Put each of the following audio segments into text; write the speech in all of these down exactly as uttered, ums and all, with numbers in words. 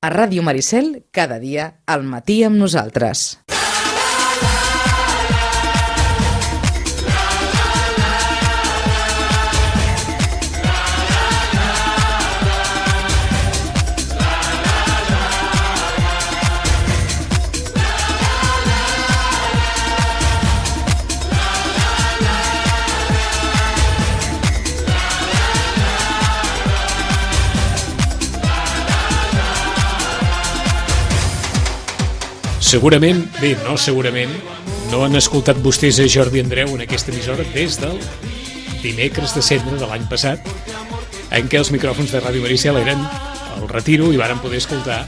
A Ràdio Maricel, cada dia, al matí amb nosaltres. Segurament, bé, no segurament, no han escoltat vostès a Jordi Andreu en aquesta emissora des del dimecres de cendre de l'any passat, en què els micròfons de Ràdio Maricel eren al Retiro i varen poder escoltar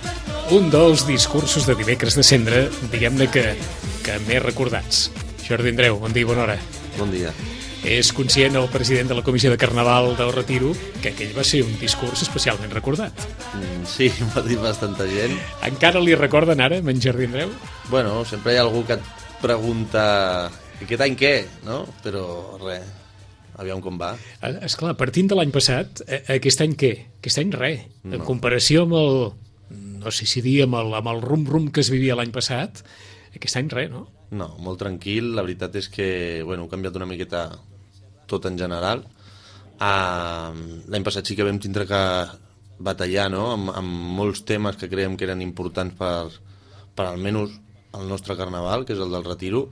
un dels discursos de dimecres de cendre, diguem-ne que, que més recordats. Jordi Andreu, bon dia i bona hora. Bon dia. És conscient el president de la Comissió de Carnaval del Retiro que aquell va ser un discurs especialment recordat. Mm, sí, m'ha dit bastanta gent. Encara li recorden ara, en Jordi Andreu? Bueno, sempre hi ha algú que et pregunta aquest any què, no? Però res, aviam com va. Esclar, partint de l'any passat, aquest any què? Aquest any res. En no. comparació amb el, no sé si dir, amb el, amb el rum-rum que es vivia l'any passat, aquest any res, no? No, molt tranquil. La veritat és que, bueno, ha canviat una miqueta tot en general. Uh, l'any passat sí que vam tindre que batallar, no?, amb, amb molts temes que creiem que eren importants per, per almenys el nostre carnaval, que és el del Retiro,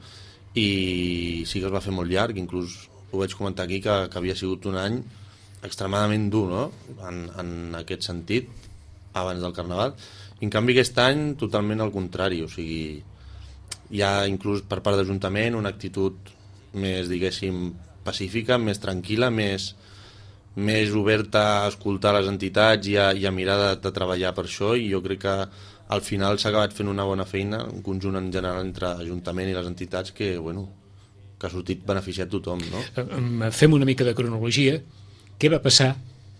i sí que es va fer molt llarg. Inclús ho vaig comentar aquí, que, que havia sigut un any extremadament dur, no?, en, en aquest sentit, abans del carnaval. I en canvi aquest any totalment al contrari, o sigui, hi ha inclús per part d'Ajuntament una actitud més, diguéssim, pacífica, més tranquil·la, més, més oberta a escoltar les entitats i a, i a mirar de, de treballar per això, i jo crec que al final s'ha acabat fent una bona feina, un conjunt en general entre Ajuntament i les entitats que, bueno, que ha sortit beneficiat tothom, no? Fem una mica de cronologia. Què va passar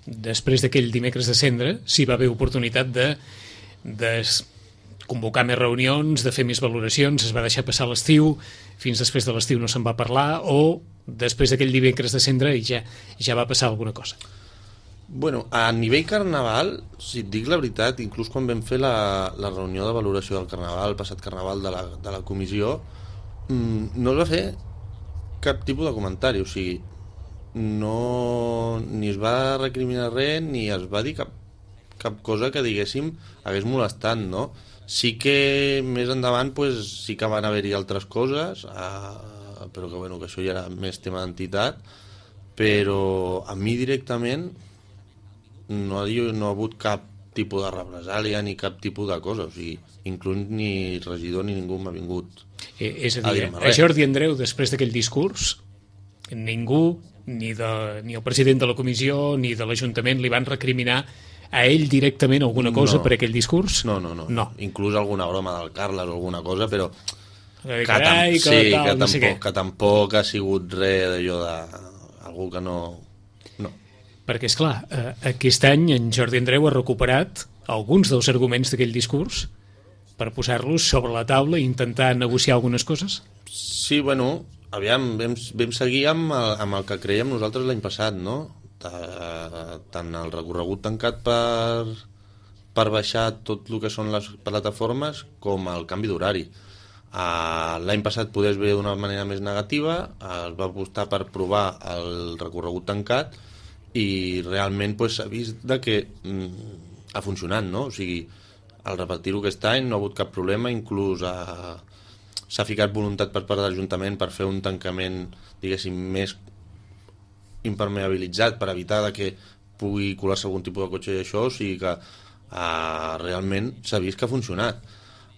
després d'aquell dimecres de cendre, si va haver oportunitat de, de convocar més reunions, de fer més valoracions, es va deixar passar l'estiu, fins després de l'estiu no se'n va parlar, o després d'aquell dimecres de cendre ja, ja va passar alguna cosa? Bueno, a nivell carnaval, si et dic la veritat, inclús quan vam fer la, la reunió de valoració del carnaval, el passat carnaval de la, de la comissió, mmm, no es va fer cap tipus de comentari, o sigui, no, ni es va recriminar res, ni es va dir cap, cap cosa que, diguéssim, hagués molestat, no? Sí que més endavant pues, sí que van haver-hi altres coses, eh, però que, bueno, que això ja era més tema d'entitat, però a mi directament no ha, no ha hagut cap tipus de represàlia ni cap tipus de cosa, o sigui, inclús ni regidor ni ningú m'ha vingut eh, és a dir, a, a Jordi Andreu, després d'aquell discurs, ningú, ni, de, ni el president de la comissió ni de l'Ajuntament li van recriminar a ell directament alguna cosa no. per aquell discurs? No, no, no, no. Inclús alguna broma del Carles o alguna cosa, però que, carai, que, sí, tal, que, no tampoc, sé que tampoc ha sigut res d'allò de... algú que no... no. Perquè, esclar, eh, aquest any en Jordi Andreu ha recuperat alguns dels arguments d'aquell discurs per posar-los sobre la taula i intentar negociar algunes coses? Sí, bueno, aviam, vam, vam seguir amb el, amb el que creiem nosaltres l'any passat, no? Tant el recorregut tancat per, per baixar tot el que són les plataformes com el canvi d'horari. Uh, l'any passat poder es veure d'una manera més negativa, uh, es va apostar per provar el recorregut tancat i realment pues, s'ha vist de que mm, ha funcionat, no? O sigui, al repetir-ho aquest any no ha hagut cap problema, inclús uh, s'ha ficat voluntat per part de l'Ajuntament per fer un tancament, diguéssim, més impermeabilitzat per evitar que pugui colar-se algun tipus de cotxe i això, o sigui que uh, realment s'ha vist que ha funcionat.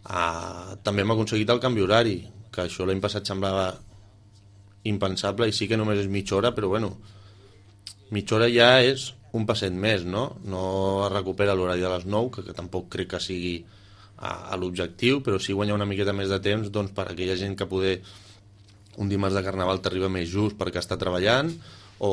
Uh, també hem aconseguit el canvi horari, que això l'any passat semblava impensable i sí que només és mitja hora, però bueno, mitja hora ja és un passet més, no? No es recupera l'horari de les nou, que, que tampoc crec que sigui uh, a l'objectiu, però sí guanyar una miqueta més de temps doncs, per a aquella gent que poder un dimarts de carnaval t'arriba més just perquè està treballant, o,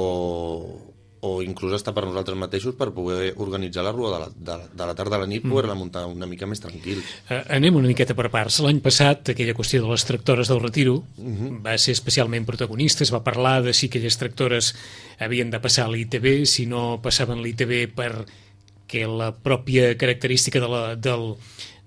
o inclús està per nosaltres mateixos per poder organitzar la rua de la, de, de la tarda a la nit, mm. poder-la muntar una mica més tranquil. Uh, anem una miqueta per parts. L'any passat, aquella qüestió de les tractores del Retiro uh-huh. va ser especialment protagonista, es va parlar de si aquelles tractores havien de passar a l'I T B, si no passaven l'I T B per que la pròpia característica de la, del,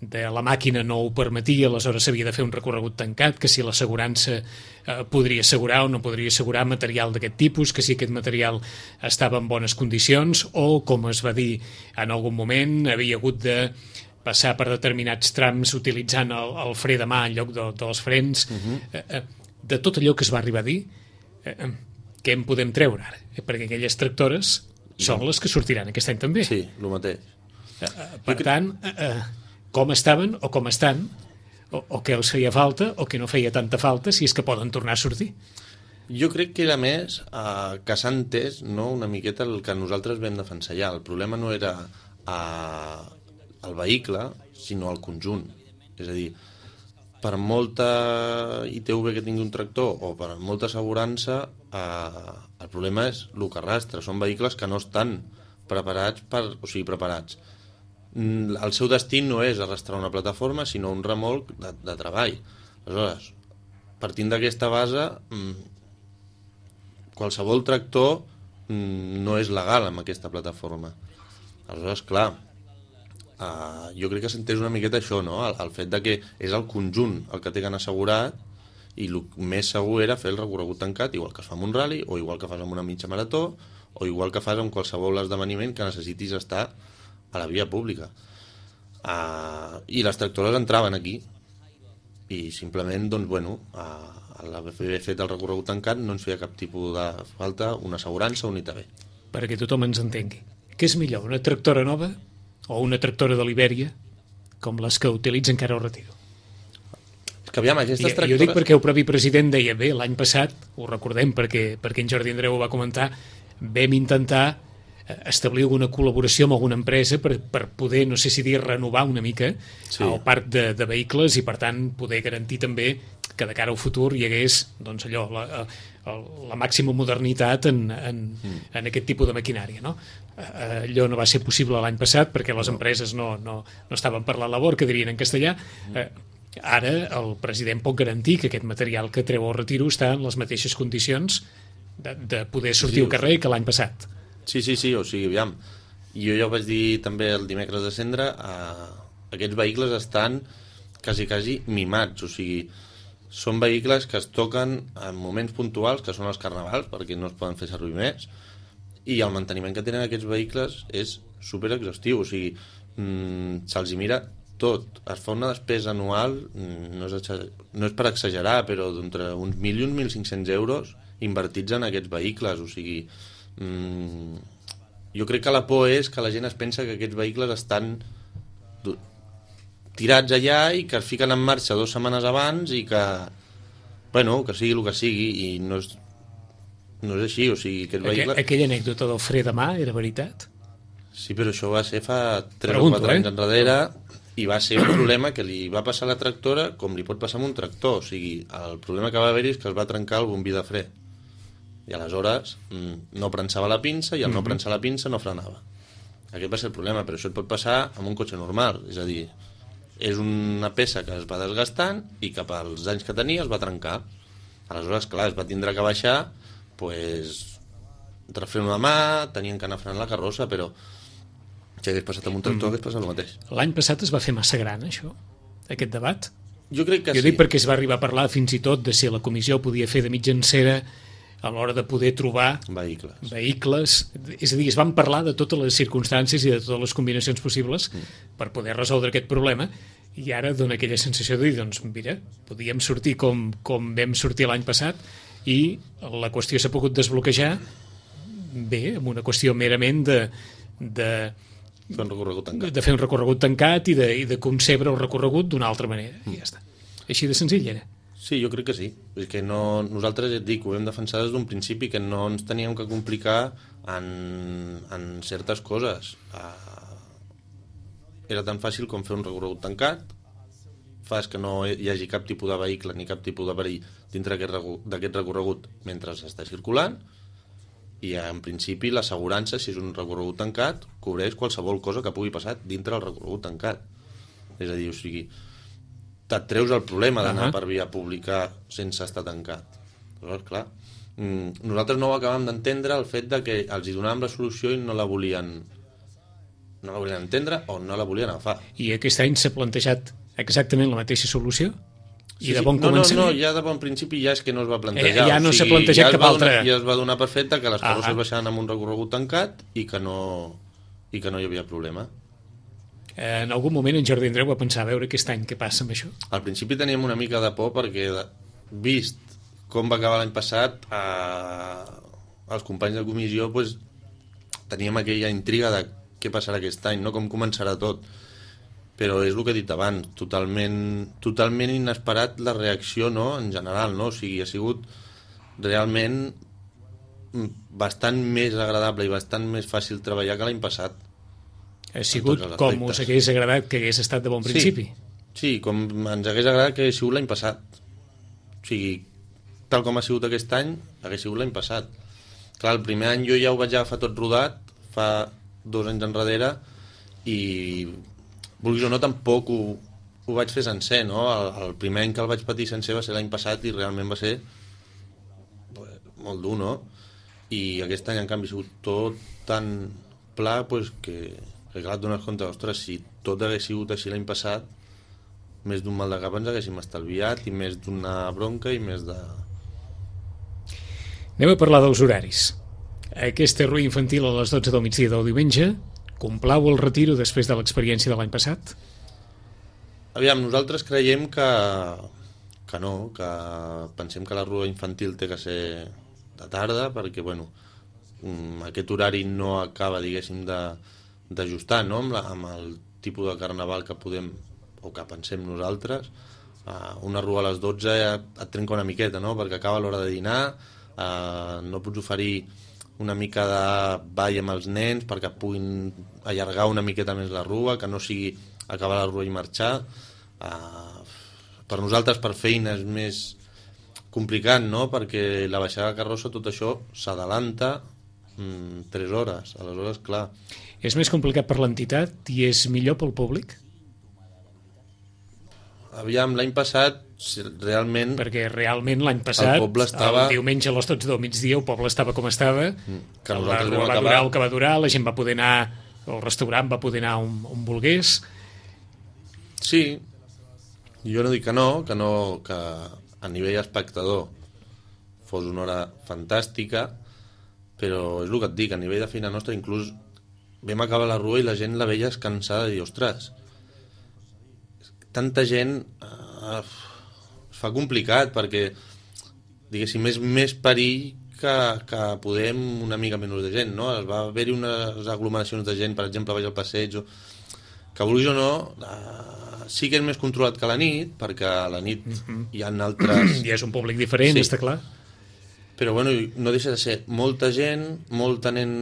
de la màquina no ho permetia, aleshores s'havia de fer un recorregut tancat, que si l'assegurança eh, podria assegurar o no podria assegurar material d'aquest tipus, que si aquest material estava en bones condicions, o, com es va dir en algun moment, havia hagut de passar per determinats trams utilitzant el, el fre de mà en lloc de, dels frens. Uh-huh. eh, eh, de tot allò que es va arribar a dir, eh, què en podem treure ara? Eh, perquè aquelles tractores són les que sortiran aquest any també. Sí, el mateix. Uh, uh, per jo tant, uh, uh, com estaven o com estan, o, o què els feia falta o que no feia tanta falta, si és que poden tornar a sortir. Jo crec que era més uh, que s'ha entès, no, una miqueta el que nosaltres vam defensar ja. El problema no era uh, el vehicle, sinó el conjunt. És a dir, per molta I T V que tingui un tractor o per molta assegurança, eh, el problema és el que arrastra. Són vehicles que no estan preparats per, o sigui, preparats. El seu destí no és arrastrar una plataforma, sinó un remolc de, de treball. Aleshores, partint d'aquesta base, qualsevol tractor no és legal amb aquesta plataforma. Aleshores, clar, Uh, jo crec que s'entès una miqueta això, no? El, el fet de que és el conjunt el que tenen assegurat i el més segur era fer el recorregut tancat, igual que es fa amb un rally, o igual que fas amb una mitja marató, o igual que fas amb qualsevol esdeveniment que necessitis estar a la via pública. Uh, I les tractores entraven aquí i simplement, doncs, bueno, uh, a l'haver fet el recorregut tancat no ens feia cap tipus de falta una assegurança o un I T V. Perquè tothom ens entengui. Què és millor, una tractora nova o una tractora de l'Ibèria, com les que utilitza encara el Retiro? És que aviam, aquestes tractores... Jo dic perquè el propi president deia, bé, l'any passat, ho recordem perquè, perquè en Jordi Andreu ho va comentar, vam intentar establir alguna col·laboració amb alguna empresa per, per poder, no sé si dir, renovar una mica sí. el parc de, de vehicles i, per tant, poder garantir també que de cara al futur hi hagués doncs, allò, la, la màxima modernitat en, en, mm. en aquest tipus de maquinària. No? Allò no va ser possible l'any passat perquè les empreses no, no, no estaven per la labor, que dirien en castellà. Mm. Ara el president pot garantir que aquest material que treu al Retiro està en les mateixes condicions de, de poder sortir sí, al carrer que l'any passat. Sí, sí, sí, o sigui, aviam, jo ja ho vaig dir també el dimecres de Cendra, eh, aquests vehicles estan quasi, quasi mimats, o sigui, són vehicles que es toquen en moments puntuals, que són els carnavals, perquè no es poden fer servir més, i el manteniment que tenen aquests vehicles és super exhaustiu, o sigui, mmm, se'ls hi mira tot, es fa una despesa anual, no és, no és per exagerar, però d'entre uns mil i uns mil cinc-cents euros invertits en aquests vehicles, o sigui, mmm, jo crec que la por és que la gent es pensa que aquests vehicles estan tirats allà i que es fiquen en marxa dues setmanes abans i que, bueno, que sigui el que sigui, i no és, no és així, o sigui, aquest vehicle... Aqu aquella anècdota del fre de mà era veritat? Sí, però això va ser fa tres Pregunto, o quatre eh? anys enrere, i va ser un problema que li va passar a la tractora com li pot passar amb un tractor, o sigui, el problema que va haver-hi és que es va trencar el bombí de fre, i aleshores no prensava la pinça, i al no prensar la pinça no frenava. Aquest va ser el problema, però això et pot passar amb un cotxe normal, és a dir, és una peça que es va desgastant i cap als anys que tenia es va trencar. Aleshores, clar, es va tindre que baixar, pues, refreno de mà, tenien que anar frenant la carrossa, però si hagués passat amb un tractor, mm. hagués passat el mateix. L'any passat es va fer massa gran, això, aquest debat? Jo crec que jo sí. dic perquè es va arribar a parlar fins i tot de si la comissió podia fer de mitjancera a l'hora de poder trobar vehicles. vehicles. És a dir, es van parlar de totes les circumstàncies i de totes les combinacions possibles mm. per poder resoldre aquest problema, i ara dona aquella sensació de dir, doncs mira, podíem sortir com, com vam sortir l'any passat i la qüestió s'ha pogut desbloquejar bé, amb una qüestió merament de, de, fer un recorregut tancat. de fer un recorregut tancat i de, i de concebre el recorregut d'una altra manera, mm. i ja està. Així de senzill era. Sí, jo crec que sí. És que no, nosaltres, ja et dic, ho vam defensar des d'un principi, que no ens teníem que complicar en, en certes coses. Uh, era tan fàcil com fer un recorregut tancat, fas que no hi hagi cap tipus de vehicle ni cap tipus de perill dintre d'aquest recorregut mentre està circulant, i en principi l'assegurança, si és un recorregut tancat, cobreix qualsevol cosa que pugui passar dintre del recorregut tancat. És a dir, o sigui, et treus el problema d'anar uh -huh. per via pública sense estar tancat. Llavors, clar, nosaltres no ho acabem d'entendre, el fet de que els hi donàvem la solució i no la volien no la volien entendre o no la volien agafar. I aquest any s'ha plantejat exactament la mateixa solució? I Sí, de sí. bon no, no, començament? no, ja de bon principi ja és que no es va plantejar. Eh, ja no o s'ha sigui, plantejat ja es cap va altre. donar, ja es va donar per feta que les Ah, carrosses ah. baixaven amb un recorregut tancat i que no, i que no hi havia problema. Eh, en algun moment en Jordi Andreu va pensar a veure aquest any què passa amb això? Al principi teníem una mica de por perquè, de, vist com va acabar l'any passat, eh, els companys de comissió pues, teníem aquella intriga de què passarà aquest any, no? Com començarà tot. Però és el que he dit abans, totalment, totalment inesperat la reacció, no?, en general, no? O sigui, ha sigut realment bastant més agradable i bastant més fàcil treballar que l'any passat. Ha sigut tots els com aspectes. us hagués agradat que hagués estat de bon principi? Sí, sí, com ens hagués agradat que hagués sigut l'any passat. O sigui, tal com ha sigut aquest any, hagués sigut l'any passat. Clar, el primer any jo ja ho vaig agafar tot rodat, fa dos anys enrere, i vulguis o no, tampoc ho, ho vaig fer sencer, no? El, el primer any que el vaig patir sencer va ser l'any passat i realment va ser pues, molt dur, no? I aquest any, en canvi, ha sigut tot tan pla pues, que, que clar, et dones compte, ostres, si tot hagués sigut així l'any passat, més d'un mal de cap ens haguéssim estalviat i més d'una bronca i més de... Anem a parlar dels horaris. Aquesta rua infantil a les dotze del migdia del diumenge complau el retiro després de l'experiència de l'any passat? Aviam, nosaltres creiem que, que no, que pensem que la rua infantil té que ser de tarda, perquè, bueno, aquest horari no acaba, diguéssim, d'ajustar, no?, amb, la, amb el tipus de carnaval que podem, o que pensem nosaltres. Uh, una rua a les dotze et trenca una miqueta, no?, perquè acaba l'hora de dinar, uh, no pots oferir una mica de ball amb els nens perquè puguin allargar una miqueta més la rua, que no sigui acabar la rua i marxar. Uh, per nosaltres, per feina, és més complicat, no?, perquè la baixada de carrossa, tot això s'adalanta mm, tres hores. Aleshores, clar... És més complicat per l'entitat i és millor pel públic? Aviam, l'any passat, realment... Perquè realment l'any passat, el poble estava... el diumenge a les dotze del migdia, el poble estava com estava, que la nosaltres rua vam va acabar... durar el que va durar, la gent va poder anar, el restaurant va poder anar on, on volgués. Sí, jo no dic que no, que no, que a nivell espectador fos una hora fantàstica, però és el que et dic, a nivell de feina nostra, inclús vam acabar la rua i la gent la veia cansada i, ostres, tanta gent eh, es fa complicat perquè, diguéssim, és més perill que, que podem una mica menys de gent, no? Es va haver-hi unes aglomeracions de gent, per exemple, baix al passeig, o... que vulguis o no, eh, sí que és més controlat que la nit, perquè a la nit mm-hmm. hi ha altres... I és un públic diferent, sí. Està clar. Però, bueno, no deixa de ser molta gent, molta nen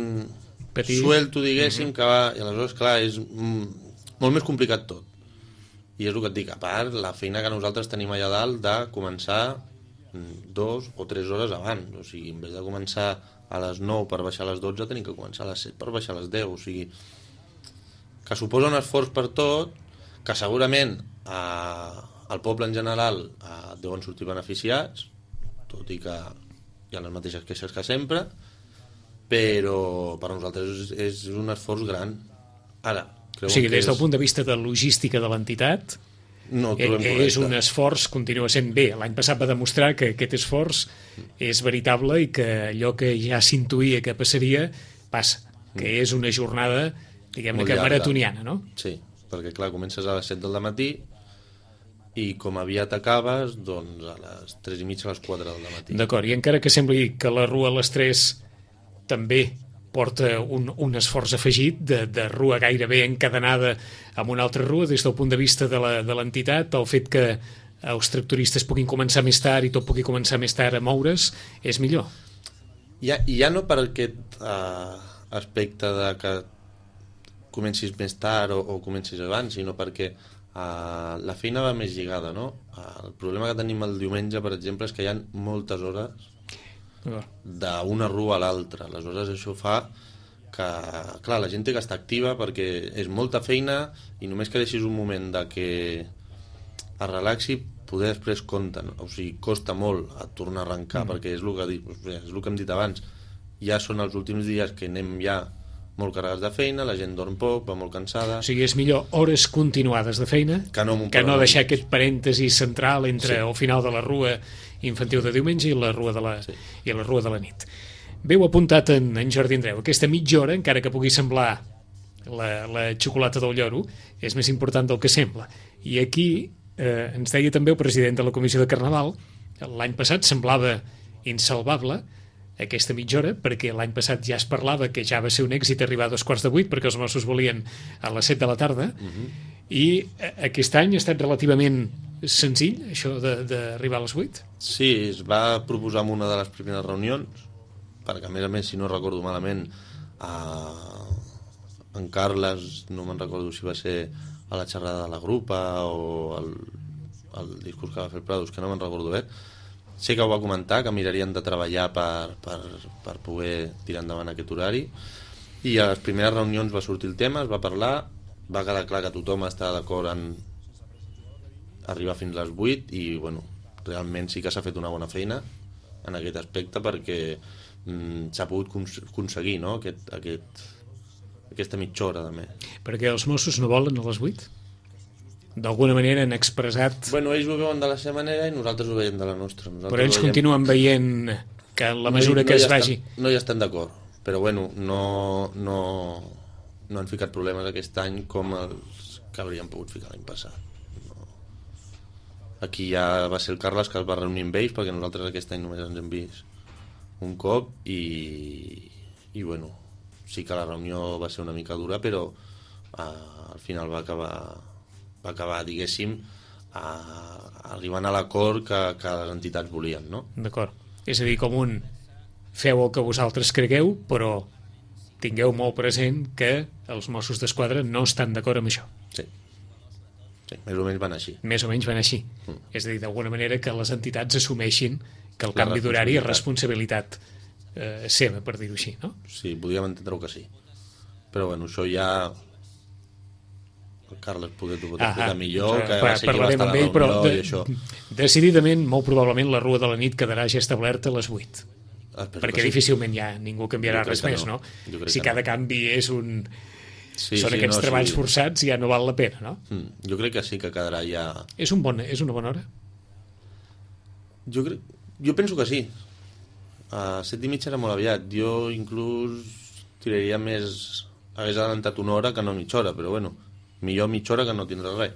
Petit. Suelto, diguéssim, mm-hmm. que va... I aleshores, clar, és mm, molt més complicat tot. I és el que et dic, a part, la feina que nosaltres tenim allà dalt de començar dos o tres hores abans. O sigui, en vez de començar a les nou per baixar a les dotze, tenim que començar a les set per baixar a les deu. O sigui, que suposa un esforç per tot, que segurament eh, el poble en general eh, deuen sortir beneficiats, tot i que hi ha les mateixes queixes que sempre, però per nosaltres és, és un esforç gran. Ara, o sigui, des del punt de vista de logística de l'entitat, no, és un esforç, continua sent bé. L'any passat va demostrar que aquest esforç és veritable i que allò que ja s'intuïa que passaria, passa, que és una jornada, diguem-ne que maratoniana, no? Sí, perquè clar, comences a les set del matí i com aviat acabes, doncs a les tres i mitja, a les quatre del matí. D'acord, i encara que sembli que la rua a les tres també porta un, un esforç afegit de, de rua gairebé encadenada amb una altra rua, des del punt de vista de l'entitat, el fet que els tractoristes puguin començar més tard i tot pugui començar més tard a moure's, és millor. Ja, ja no per aquest uh, aspecte de que comencis més tard o, o comencis abans, sinó perquè uh, la feina va més lligada, no? Uh, el problema que tenim el diumenge, per exemple, és que hi ha moltes hores d'una rua a l'altra. Aleshores això fa que, clar, la gent té que estar activa perquè és molta feina i només que deixis un moment de que es relaxi, poder després compta, no? O sigui, costa molt a tornar a arrencar, mm. perquè és el que, és el que hem dit abans, ja són els últims dies que anem ja molt carregats de feina, la gent dorm poc, va molt cansada... O sigui, és millor hores continuades de feina que no, que no deixar aquest parèntesi central entre sí. el final de la rua infantil de diumenge i la rua de la, sí. i la rua de la nit. Veu apuntat en, en Jordi Andreu, aquesta mitja hora, encara que pugui semblar la, la xocolata del lloro, és més important del que sembla. I aquí eh, ens deia també el president de la Comissió de Carnaval, l'any passat semblava insalvable aquesta mitja hora, perquè l'any passat ja es parlava que ja va ser un èxit arribar a dos quarts de vuit, perquè els Mossos volien a les set de la tarda, uh-huh. i aquest any ha estat relativament senzill, això d'arribar a les vuit? Sí, es va proposar en una de les primeres reunions, perquè a més a més, si no recordo malament, eh, en Carles, no me'n recordo si va ser a la xerrada de la grupa o el, el discurs que va fer el Prados, que no me'n recordo bé, sé que ho va comentar, que mirarien de treballar per, per, per poder tirar endavant aquest horari, i a les primeres reunions va sortir el tema, es va parlar, va quedar clar que tothom està d'acord en arribar fins a les vuit, i bueno, realment sí que s'ha fet una bona feina en aquest aspecte, perquè mm, s'ha pogut cons aconseguir, no? aquest, aquest, aquesta mitja hora també. Perquè els Mossos no volen a les vuit? D'alguna manera han expressat... Bueno, ells ho veuen de la seva manera i nosaltres ho veiem de la nostra. Nosaltres però ells veiem... continuen veient que en la mesura no, no que es vagi... Estan, no hi estan d'acord, però bueno, no, no, no han ficat problemes aquest any com els que haurien pogut ficar l'any passat. No. Aquí ja va ser el Carles que es va reunir amb ells, perquè nosaltres aquest any només ens hem vist un cop, i, i bueno, sí que la reunió va ser una mica dura, però uh, al final va acabar... va acabar, diguéssim, a, arribant a l'acord que, que les entitats volien, no? D'acord. És a dir, com un feu el que vosaltres cregueu, però tingueu molt present que els Mossos d'Esquadra no estan d'acord amb això. Sí. Sí, més o menys van així. Més o menys van així. Mm. És a dir, d'alguna manera que les entitats assumeixin que el canvi d'horari és responsabilitat eh, seva, per dir-ho així, no? Sí, podríem entendre-ho que sí. Però, bueno, això ja... el Carles poder t'ho pot explicar ah, millor, que va ser qui va estar a la reunió, però de, i això. Decididament, molt probablement, la rua de la nit quedarà ja establerta a les vuit. Ah, perquè sí. Difícilment ja ningú canviarà res més, no? no? Si cada no. canvi és un... Sí, Són sí, aquests no, treballs sí. forçats, ja no val la pena, no? Mm, jo crec que sí que quedarà ja... És, un bon, és una bona hora? Jo, crec, jo penso que sí. A set i mitja era molt aviat. Jo inclús tiraria més... Hagués adelantat una hora que no mitja hora, però bueno... millor mitja hora que no tindrà res,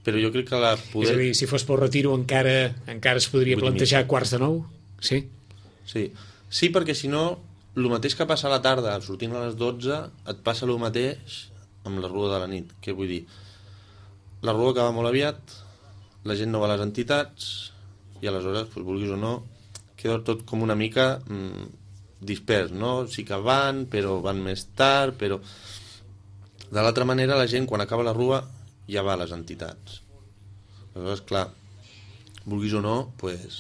però jo crec que la poder... És a dir, si fos pel retiro encara encara es podria plantejar quarts de nou? Sí? Sí, sí, perquè si no el mateix que passa a la tarda sortint a les dotze, et passa el mateix amb la rua de la nit. Què vull dir? La rua acaba molt aviat, la gent no va a les entitats i aleshores, doncs, vulguis o no, queda tot com una mica mmm, dispers, no? Sí que van, però van més tard, però... De l'altra manera, la gent, quan acaba la rua, ja va a les entitats. Aleshores, clar, vulguis o no, pues,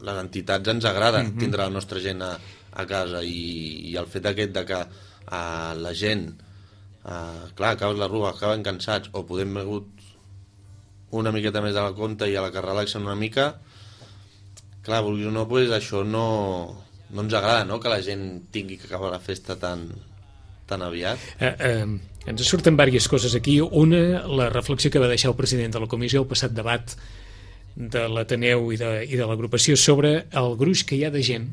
les entitats ens agrada mm-hmm. tindre la nostra gent a, a casa, i, i el fet aquest de que a, la gent, a, clar, acabes la rua, acaben cansats, o podem begut una miqueta més de la compte i a la que relaxen una mica, clar, vulguis o no, pues, això no, no ens agrada, no?, que la gent tingui que acabar la festa tan... tan aviat. Eh, eh, ens surten diverses coses aquí. Una, la reflexió que va deixar el president de la comissió al passat debat de l'Ateneu i de, i de l'agrupació sobre el gruix que hi ha de gent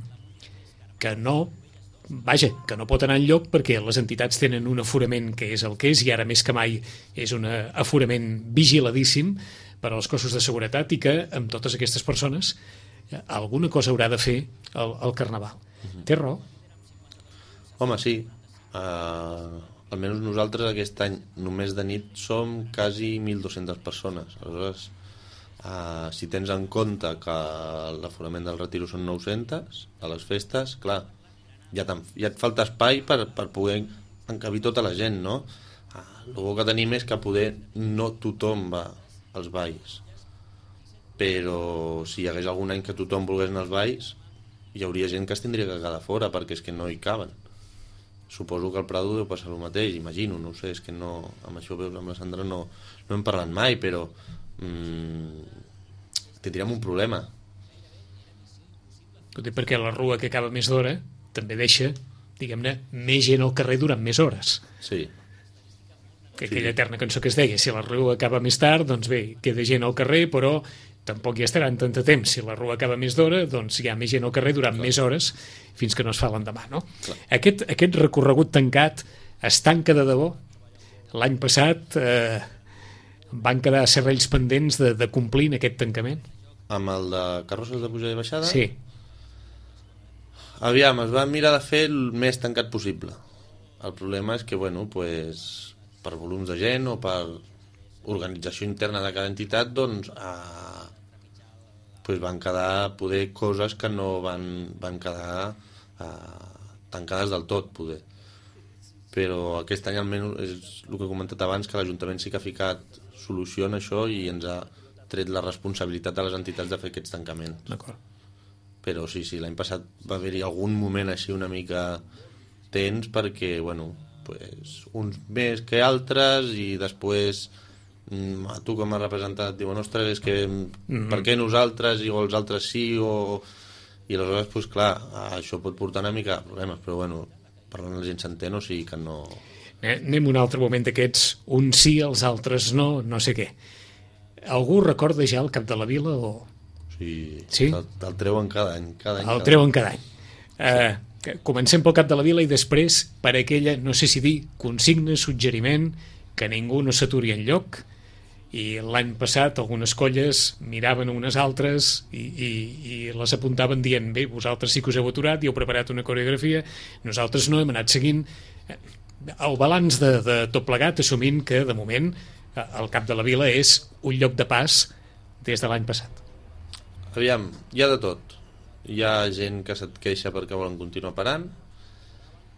que no, vaja, que no pot anar enlloc perquè les entitats tenen un aforament que és el que és, i ara més que mai és un aforament vigiladíssim per als cossos de seguretat, i que amb totes aquestes persones alguna cosa haurà de fer el, el Carnaval. Uh-huh. Té raó? Home, sí. Uh, almenys nosaltres aquest any només de nit som quasi mil dues-centes persones. Aleshores, uh, si tens en compte que l'aforament del retiro són nou-centes a les festes, clar, ja, ja et falta espai per, per poder encabir tota la gent, no? Uh, el bo que tenim és que poder no tothom va als balls, però si hi hagués algun any que tothom volgués anar als balls, hi hauria gent que es tindria que quedar fora perquè és que no hi caben. Suposo que al Prado deu passar el mateix, imagino, no ho sé, és que no, amb això veus, amb la Sandra no, no hem parlat mai, però mmm, tindríem un problema. Perquè la rua que acaba més d'hora també deixa diguem-ne, més gent al carrer durant més hores. Sí. Que aquella eterna cançó que es deia, si la rua acaba més tard, doncs bé, queda gent al carrer, però tampoc hi estaran tant de temps. Si la rua acaba més d'hora, doncs hi ha més gent al carrer durant Clar. més hores fins que no es fa l'endemà, no? Aquest, aquest recorregut tancat es tanca de debò. L'any passat eh, van quedar serrells pendents de, de complir en aquest tancament. Amb el de carrosses de pujada i baixada? Sí. Aviam, es va mirar de fer el més tancat possible. El problema és que, bueno, pues, per volums de gent o per organització interna de cada entitat, doncs eh, pues van quedar poder coses que no van, van quedar eh, tancades del tot, poder. Però aquest any almenys és el que he comentat abans, que l'Ajuntament sí que ha ficat solució en això i ens ha tret la responsabilitat de les entitats de fer aquests tancaments. D'acord. Però sí, sí, l'any passat va haver-hi algun moment així una mica tens perquè, bueno, pues, uns més que altres i després a tu com a representant et diuen, ostres, és que mm-hmm. per què nosaltres i els altres sí o... i aleshores, pues, clar, això pot portar una mica de problemes, però bueno, parlant la gent s'entén, o sigui que no... Eh, anem un altre moment d'aquests, uns sí, els altres no, no sé què. Algú recorda ja el cap de la vila o... Sí, sí? El, el treuen cada any. Cada any el cada treuen any. cada any. Eh, sí. Comencem pel cap de la vila i després per aquella, no sé si dir, consigna, suggeriment, que ningú no s'aturi en lloc. I l'any passat algunes colles miraven unes altres i, i, i les apuntaven dient, bé, vosaltres sí que us heu aturat i heu preparat una coreografia, nosaltres no, hem anat seguint el balanç de, de tot plegat, assumint que de moment el cap de la vila és un lloc de pas des de l'any passat. Aviam, hi ha de tot. Hi ha gent que se't queixa perquè volen continuar parant,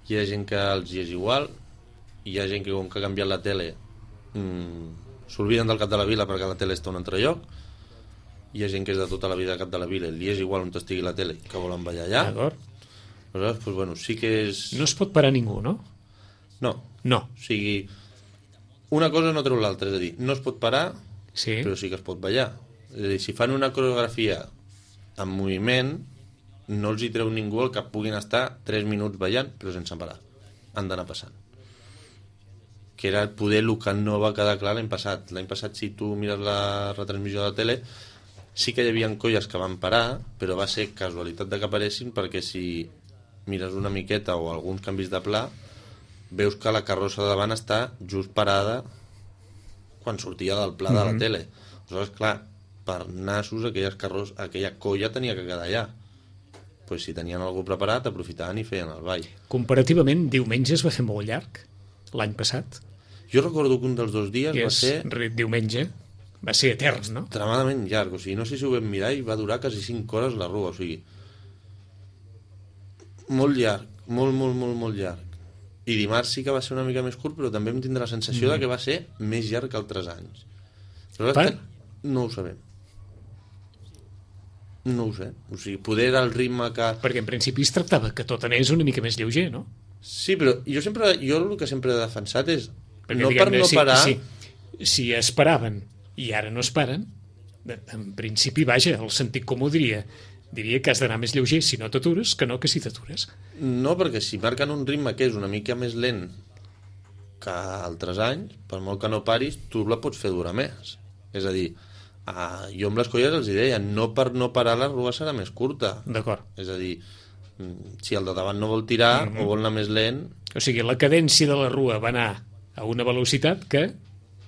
hi ha gent que els hi és igual, hi ha gent que com que ha canviat la tele mmm, s'olviden del cap de la vila perquè la tele està a un altre lloc, hi ha gent que és de tota la vida al cap de la vila i li és igual on estigui la tele que volen ballar allà. D'acord. Aleshores, pues, bueno, sí que és... No es pot parar ningú, no? No. No. O sigui, una cosa no treu l'altra, és a dir, no es pot parar, sí. però sí que es pot ballar. És a dir, si fan una coreografia en moviment, no els hi treu ningú el que puguin estar tres minuts ballant, però sense parar. Han d'anar passant. Que era poder el que no va quedar clar l'any passat. L'any passat, si tu mires la retransmissió de la tele, sí que hi havia colles que van parar, però va ser casualitat de que aparessin, perquè si mires una miqueta o alguns canvis de pla, veus que la carrossa de davant està just parada quan sortia del pla mm-hmm. de la tele. Aleshores, clar, per nassos aquelles carros, aquella colla tenia que quedar allà. Pues si tenien algú preparat, aprofitaven i feien el ball. Comparativament, diumenge es va fer molt llarg, l'any passat. Jo recordo que un dels dos dies que va ser... diumenge, va ser etern, no? Extremadament llarg, o sigui, no sé si ho vam mirar i va durar quasi cinc hores la rua, o sigui... Molt llarg, molt, molt, molt, molt llarg. I dimarts sí que va ser una mica més curt, però també em tindrà la sensació mm. de que va ser més llarg que altres anys. Però per? Que no ho sabem. No ho sé. O sigui, poder era el ritme que... Perquè en principi es tractava que tot anés una mica més lleuger, no? Sí, però jo sempre, jo el que sempre he defensat és perquè, no per no si, parar... Si, si es paraven i ara no es paren, en principi, vaja, el sentit comú diria diria que has d'anar més lleuger si no t'atures que no que si t'atures. No, perquè si marquen un ritme que és una mica més lent que altres anys, per molt que no paris, tu la pots fer durar més. És a dir, uh, jo amb les colles els deia, no per no parar la rua serà més curta. D'acord. És a dir, si el de davant no vol tirar mm-hmm. o vol anar més lent... O sigui, la cadència de la rua va anar a una velocitat que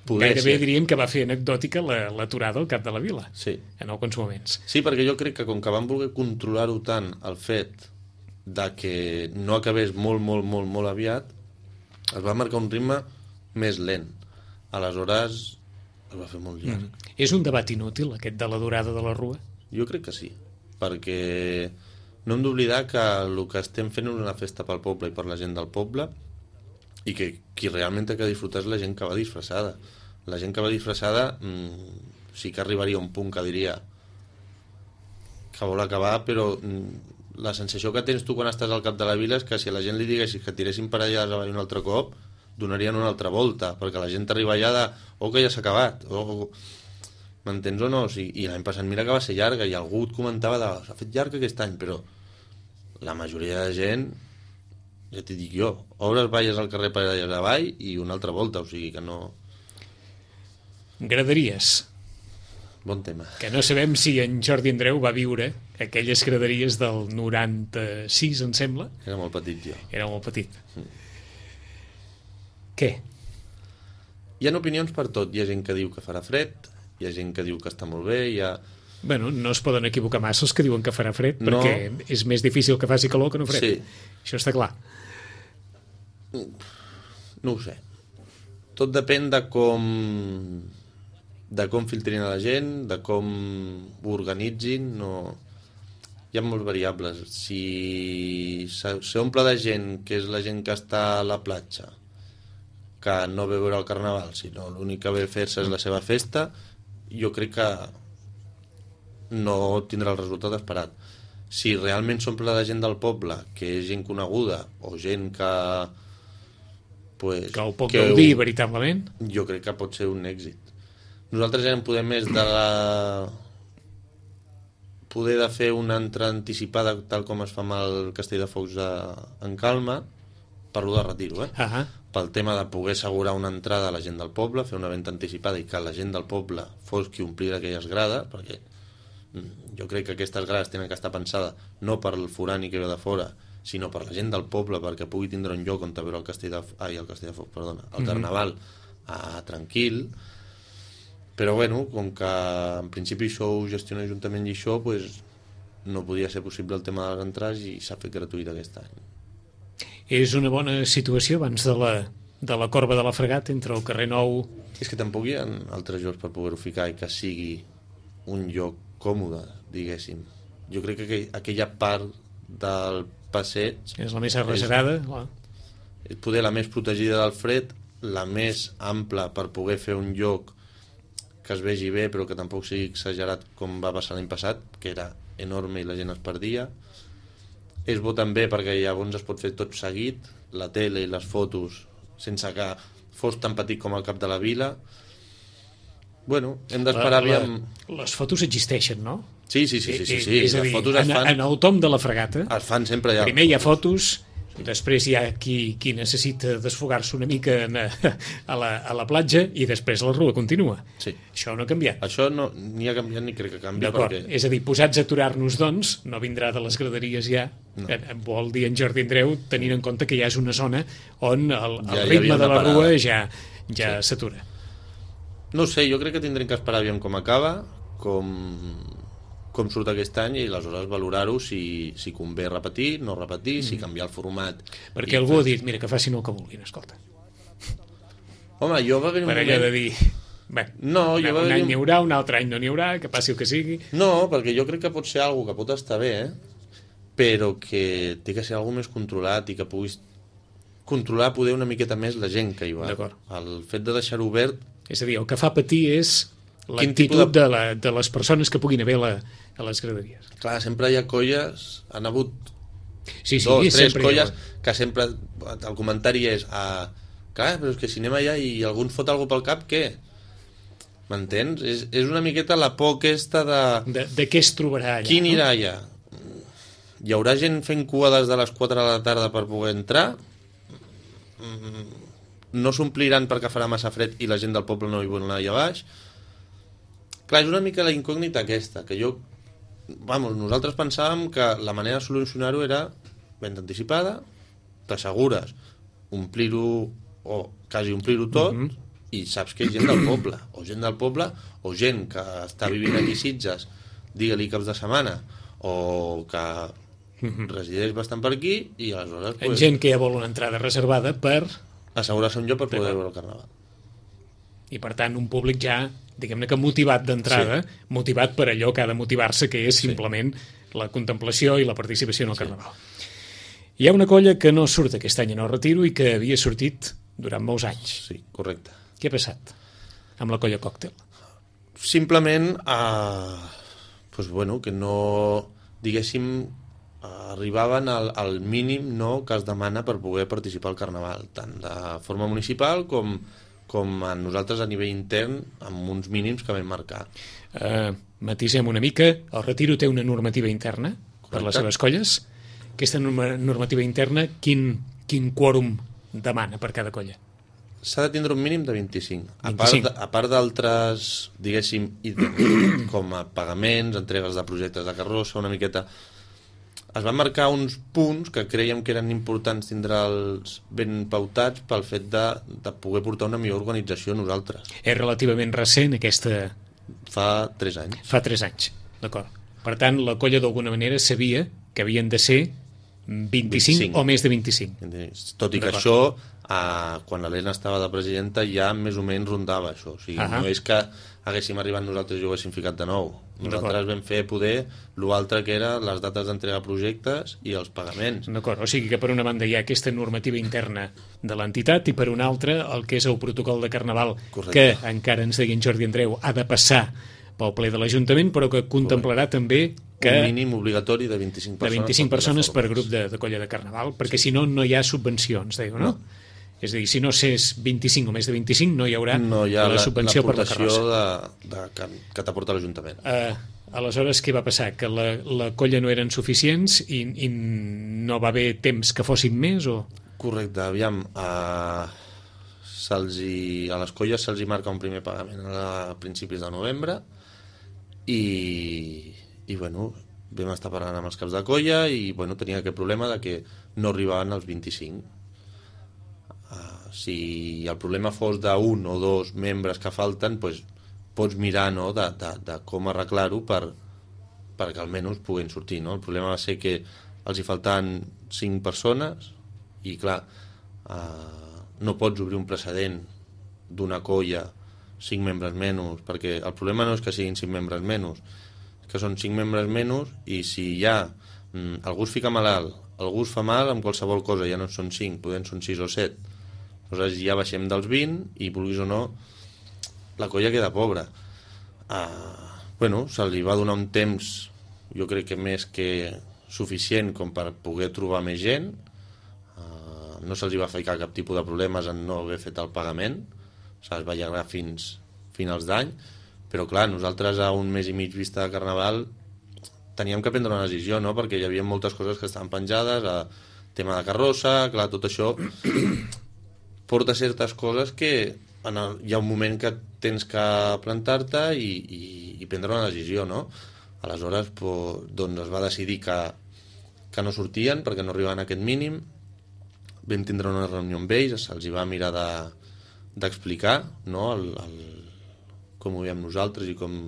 Poder gairebé ser. diríem que va fer anecdòtica l'aturada al cap de la vila, sí. en alguns moments. Sí, perquè jo crec que com que van voler controlar-ho tant el fet de que no acabés molt, molt, molt, molt aviat, es va marcar un ritme més lent. Aleshores es va fer molt llarg. Mm. És un debat inútil, aquest de la durada de la rua? Jo crec que sí, perquè no hem d'oblidar que el que estem fent és una festa pel poble i per la gent del poble, i que qui realment té que disfrutar és la gent que va disfressada. La gent que va disfressada mmm, sí que arribaria a un punt que diria que vol acabar, però mmm, la sensació que tens tu quan estàs al cap de la vila és que si a la gent li diguessis que tiressin per allà un altre cop, donarien una altra volta, perquè la gent arriba allà de oh, que ja s'ha acabat, oh, m'entens o no? O sigui, i l'any passat mira que va ser llarga i algú et comentava de s'ha fet llarg aquest any, però la majoria de gent ja t'hi dic jo, obres valles al carrer per allà avall i una altra volta, o sigui que no... Graderies. Bon tema. Que no sabem si en Jordi Andreu va viure aquelles graderies del noranta-sis, em sembla. Era molt petit jo. Era molt petit. Mm. Què? Hi ha opinions per tot. Hi ha gent que diu que farà fred, hi ha gent que diu que està molt bé, hi ha... Bueno, no es poden equivocar massa els que diuen que farà fred, no. perquè és més difícil que faci calor que no fred. Sí. Això està clar. No ho sé. Tot depèn de com... de com filtrin a la gent, de com ho organitzin, no... Hi ha molts variables. Si s'omple de gent, que és la gent que està a la platja, que no ve a veure el carnaval, sinó l'únic que ve a fer-se és la seva festa, jo crec que no tindrà el resultat esperat. Si realment s'omple de gent del poble, que és gent coneguda, o gent que... Pues, que ho pot que gaudir ho... veritablement, jo crec que pot ser un èxit. Nosaltres ja en podem més de la... poder de fer una entrada anticipada tal com es fa amb el Castell de Focs a... en Calma, parlo de retiro, eh? Uh-huh. Pel tema de poder assegurar una entrada a la gent del poble, fer una venda anticipada i que la gent del poble fos qui omplir aquelles grades, perquè jo crec que aquestes grades tenen que estar pensades no per el forani que ve de fora, sinó per la gent del poble, perquè pugui tindre un lloc on veure el Castell de, ai, el Castell de Focs, perdona, el Carnaval mm-hmm. a, tranquil. Però bueno, com que en principi això ho gestiona l'Ajuntament i això, pues, no podia ser possible el tema de les entrades i s'ha fet gratuït aquest any. És una bona situació abans de la, de la corba de la Fregat entre el carrer Nou... És que tampoc hi ha altres llocs per poder-ho ficar i que sigui un lloc còmode, diguéssim. Jo crec que aquella part del passeig... És la més arrecerada. És, és poder la més protegida del fred, la més ampla per poder fer un lloc que es vegi bé però que tampoc sigui exagerat com va passar l'any passat, que era enorme i la gent es perdia. És bo també perquè llavors es pot fer tot seguit, la tele i les fotos, sense que fos tan petit com el cap de la vila. Bueno, hem d'esperar aviam... Les fotos existeixen, no? Sí, sí, sí, sí, sí, sí. És a dir, les fotos es en, fan... en el tom de la Fregata es fan sempre allà. Primer hi ha fotos, després hi ha qui, qui necessita desfogar-se una mica en, a, la, a la platja i després la rua continua. Sí. Això no ha canviat. Això no, ni ha canviat ni crec que canvi. D'acord, perquè... és a dir, posats a aturar-nos, doncs, no vindrà de les graderies ja. No. Vol dir en Jordi Andreu, tenint en compte que ja és una zona on el, el ja, ritme ja de la parada. rua ja, ja sí. s'atura. No sé, jo crec que tindrem que esperar aviam com acaba, com... com surt aquest any i aleshores valorar-ho si, si convé repetir, no repetir, mm. si canviar el format. Perquè algú fer... ha dit, mira, que facin el que vulguin, escolta. Home, jo va haver un per moment... allò de dir, bé, no, jo un any un... n'hi haurà, un altre any no n'hi haurà, que passi el que sigui. No, perquè jo crec que pot ser algo que pot estar bé, eh? Però que té que ser algo més controlat i que puguis controlar poder una miqueta més la gent que hi va. D'acord. El fet de deixar-ho obert... És a dir, el que fa patir és l'actitud de... De, la, de les persones que puguin haver la, a les graderies. Clar, sempre hi ha colles, han hagut sí, sí, dos, tres colles ha... que sempre el comentari és ah, clar, però és que si anem allà i algú ens fot alguna pel cap, què? M'entens? És, és una miqueta la por aquesta de... De, de què es trobarà allà? Qui anirà no? allà? Hi haurà gent fent cua des de les quatre de la tarda per poder entrar? No s'ompliran perquè farà massa fred i la gent del poble no hi vol anar allà baix? Clar, és una mica la incògnita aquesta, que jo... Vamos, nosaltres pensàvem que la manera de solucionar-ho era venda anticipada, t'assegures omplir-ho o quasi omplir-ho tot mm-hmm. i saps que és gent del poble, o gent del poble o gent que està vivint aquí a Sitges, digue-li caps de setmana, o que mm-hmm. resideix bastant per aquí i aleshores... Pues, gent que ja vol una entrada reservada per... assegurar-se un lloc per poder veure el Carnaval. I per tant un públic ja, diguem-ne que motivat d'entrada, sí. motivat per allò que ha de motivar-se, que és simplement sí. la contemplació i la participació en el Carnaval. Sí. Hi ha una colla que no surt aquest any en el retiro i que havia sortit durant molts anys. Sí, correcte. Què ha passat amb la colla Còctel? Simplement, eh, pues bueno, que no, diguéssim, arribaven al, al mínim no, que es demana per poder participar al Carnaval, tant de forma municipal com, com a nosaltres a nivell intern, amb uns mínims que vam marcar. Uh, matisem una mica, el retiro té una normativa interna. Correcte. Per les seves colles. Aquesta norma, normativa interna, quin, quin quòrum demana per cada colla? S'ha de tindre un mínim de vint-i-cinc. A vint-i-cinc. part, a part d'altres, diguéssim, ítems, com a pagaments, entregues de projectes de carrossa, una miqueta... Es van marcar uns punts que creiem que eren importants tindre'ls ben pautats pel fet de, de poder portar una millor organització nosaltres. És relativament recent aquesta... Fa tres anys. Fa tres anys, d'acord. Per tant, la colla d'alguna manera sabia que havien de ser vint-i-cinc, vint-i-cinc. O més de vint-i-cinc. Tot i que això, eh, quan l'Helena estava de presidenta, ja més o menys rondava això. O sigui, uh-huh. No és que haguéssim arribat nosaltres i ho haguéssim ficat de nou. Nosaltres vam fer poder l'altre que era les dates d'entrega de projectes i els pagaments. D'acord, o sigui que per una banda hi ha aquesta normativa interna de l'entitat i per una altra el que és el protocol de Carnaval. Correcte. Que encara ens deia en Jordi Andreu ha de passar pel ple de l'Ajuntament, però que contemplarà Correcte. També que... Un mínim obligatori de vint-i-cinc persones. De vint-i-cinc persones per grup de, de colla de Carnaval, perquè sí. Si no, no hi ha subvencions, deia, no? no? És a dir, si no s'és vint-i-cinc o més de vint-i-cinc, no hi haurà no hi ha la, la subvenció per la carrossa. De, de, que, que t'aporta l'Ajuntament. Uh, aleshores, què va passar? Que la, la colla no eren suficients i, i no va haver temps que fossin més? O... Correcte, aviam. Uh, se'ls hi, a les colles se'ls hi marca un primer pagament a principis de novembre i, i bueno, vam estar parlant amb els caps de colla i bueno, tenia aquest problema de que no arribaven als vint-i-cinc. Si el problema fos d'un o dos membres que falten, doncs pots mirar, no, de, de, de com arreglar-ho per, perquè almenys puguin sortir, no? El problema va ser que els hi faltaven cinc persones i clar, eh, no pots obrir un precedent d'una colla cinc membres menys, perquè el problema no és que siguin cinc membres menys, és que són cinc membres menys i si ja mm, algú es fica malalt, algú es fa mal amb qualsevol cosa, ja no són cinc, podem són sis o set. Aleshores ja baixem dels vint i, vulguis o no, la colla queda pobra. Uh, bueno, se li va donar un temps, jo crec que més que suficient com per poder trobar més gent. Uh, no se'ls va ficar cap tipus de problemes en no haver fet el pagament. O sigui, es va allargar fins finals d'any. Però, clar, nosaltres a un mes i mig vista de Carnaval teníem que prendre una decisió, no? Perquè hi havia moltes coses que estaven penjades, a tema de carrossa, clar, tot això... porta certes coses que en el, hi ha un moment que tens que plantar-te i, i, i prendre una decisió, no? Aleshores, pues, doncs es va decidir que, que no sortien perquè no arribaven a aquest mínim. Vam tindre una reunió amb ells, se'ls va mirar de, d'explicar, no? el, el, com ho veiem nosaltres i com,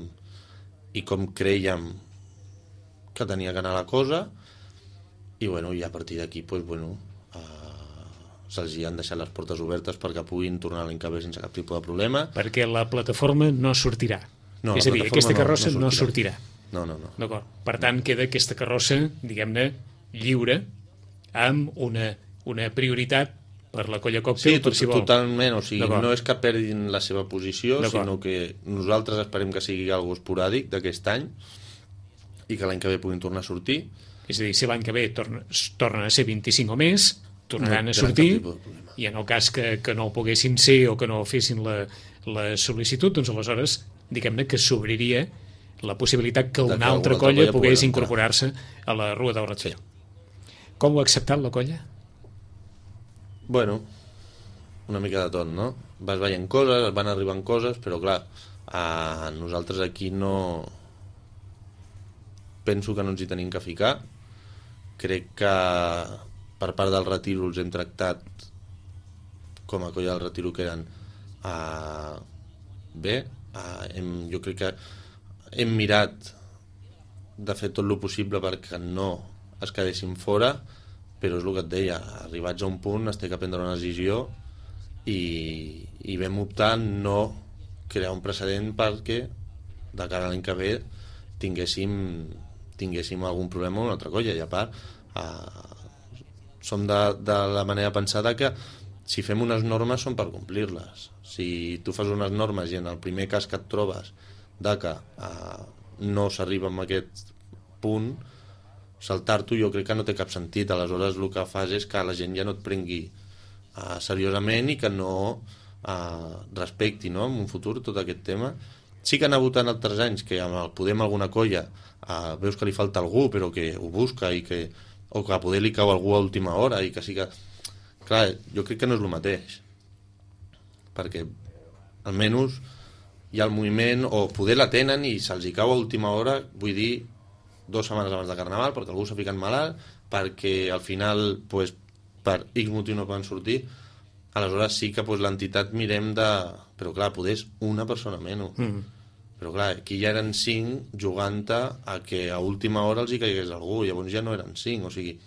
i com creiem que tenia que anar la cosa i, bueno, i a partir d'aquí, pues, bueno... se'ls han deixat les portes obertes perquè puguin tornar l'any que ve sense cap tipus de problema. Perquè la plataforma no sortirà. No, és a dir, aquesta carrossa no, no, no sortirà. No, no, no. D'acord. Per tant, queda aquesta carrossa, diguem-ne, lliure, amb una, una prioritat per la colla còctel, sí, tot, per si vol. Totalment. O sigui, no és que perdin la seva posició, sinó que nosaltres esperem que sigui algo esporàdic d'aquest any i que l'any que ve puguin tornar a sortir. És a dir, si l'any que ve torna, tornen a ser vint-i-cinc o més, tornaran no, a sortir i en el cas que, que no ho poguessin ser o que no fessin la, la sol·licitud, doncs aleshores diguem-ne que s'obriria la possibilitat que una altra colla, colla pogués incorporar-se a la Rua del Ratlló. Sí. Com ho ha acceptat la colla? Bueno, una mica de tot, no? Vas veient coses, van arribant coses, però clar, a nosaltres aquí no... penso que no ens hi tenim que ficar. Crec que per part del retiro els hem tractat com a colla del retiro que eren uh, bé. Uh, hem, jo crec que hem mirat de fer tot el possible perquè no es quedessin fora, però és el que et deia, arribats a un punt es té que prendre una decisió i, i vam optar no crear un precedent perquè de cara a l'any que ve tinguéssim, tinguéssim algun problema amb una altra colla i a part uh, som de, de la manera pensada que si fem unes normes són per complir-les. Si tu fas unes normes i en el primer cas que et trobes de que eh, no s'arriba a aquest punt, saltar-t'ho jo crec que no té cap sentit. Aleshores el que fas és que la gent ja no et prengui eh, seriosament i que no eh, respecti, no, en un futur tot aquest tema. Sí que han hagut en altres anys que amb el Podem alguna colla eh, veus que li falta algú però que ho busca i que o que a poder li cau algú a última hora i que sí que, clar, jo crec que no és el mateix, perquè almenys hi ha el moviment, o poder la tenen i se'ls hi cau a última hora, vull dir, dues setmanes abans de Carnaval, perquè algú s'ha ficat malalt, perquè al final, pues, per X motiu no poden sortir, aleshores sí que pues, l'entitat mirem de... Però clar, poder és una persona menys. Mm. Però clar, aquí ja eren cinc jugant-te a que a última hora els hi caigués algú, llavors ja no eren cinc, o sigui...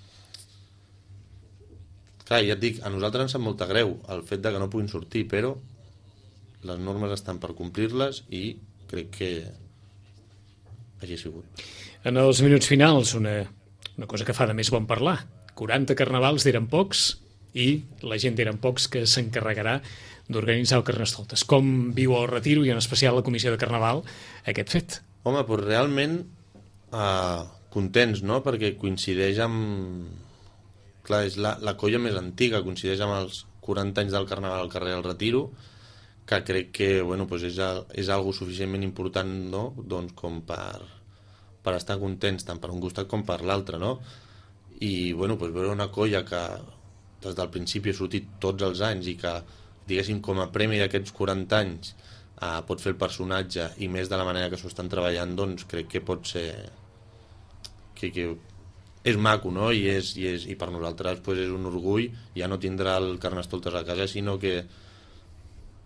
Clar, ja et dic, a nosaltres ens sap molta greu el fet de que no puguin sortir, però les normes estan per complir-les i crec que així ha sigut. En els minuts finals, una, una cosa que fa de més bon parlar. quaranta carnavals d'eren pocs i la gent d'eren pocs que s'encarregarà d'organitzar el Carnestoltes. Com viu el Retiro i en especial la Comissió de Carnaval aquest fet? Home, doncs realment eh, contents, no?, perquè coincideix amb... Clar, és la, la colla més antiga, coincideix amb els quaranta anys del Carnaval al carrer del Retiro, que crec que, bueno, doncs és, és algo suficientment important, no?, doncs com per, per estar contents, tant per un costat com per l'altre, no? I, bueno, doncs veure una colla que des del principi ha sortit tots els anys i que, diguéssim, com a premi d'aquests quaranta anys eh, pot fer el personatge i més de la manera que s'ho estan treballant, doncs crec que pot ser... que, que és maco, no? I, és, i, és, i per nosaltres pues, és un orgull ja no tindrà el Carnestoltes a casa, sinó que,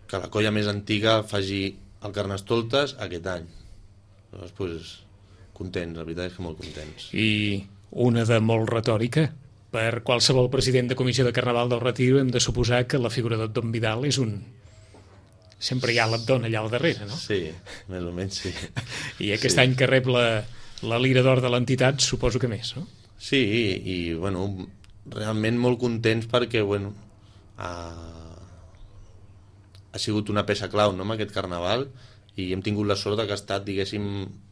que la colla més antiga faci el Carnestoltes aquest any. Llavors, pues, contents, la veritat és que molt contents. I una de molt retòrica. Per qualsevol president de Comissió de Carnaval del Retiro hem de suposar que la figura d'Abdon Vidal és un... Sempre hi ha l'Abdon allà al darrere, no? Sí, més o menys sí. I aquest sí. any que rep la, la Lira d'Or de l'entitat, suposo que més, no? Sí, i, i bueno, realment molt contents perquè, bueno, ha, ha sigut una peça clau, no?, en aquest Carnaval, i hem tingut la sort que ha estat, diguéssim,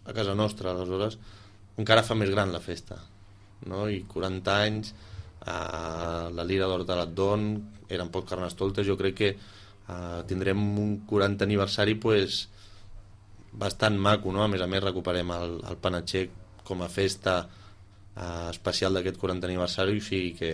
a casa nostra, aleshores encara fa més gran la festa, no? I quaranta anys, eh, la Lira d'Or de l'Abdon, eren pocs Carnestoltes, jo crec que eh, tindrem un quaranta aniversari pues, bastant maco, no? A més a més recuperem el, el panatxec com a festa eh, especial d'aquest quaranta aniversari, o sigui que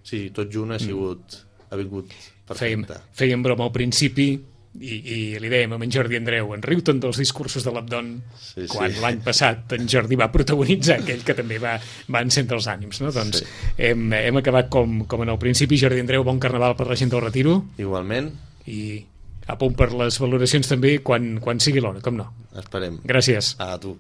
sí, tot junt ha sigut mm. ha vingut perfecte. Fèiem, fèiem broma al principi i, i li dèiem a en Jordi Andreu, en riu-te'n dels discursos de l'Abdon, sí, quan sí. l'any passat en Jordi va protagonitzar aquell que també va, va encendre els ànims, no? Doncs sí. hem, hem acabat com, com en el principi. Jordi Andreu, bon Carnaval per la gent del Retiro. Igualment. I a punt per les valoracions també quan, quan sigui l'hora, com no. Esperem. Gràcies. A tu.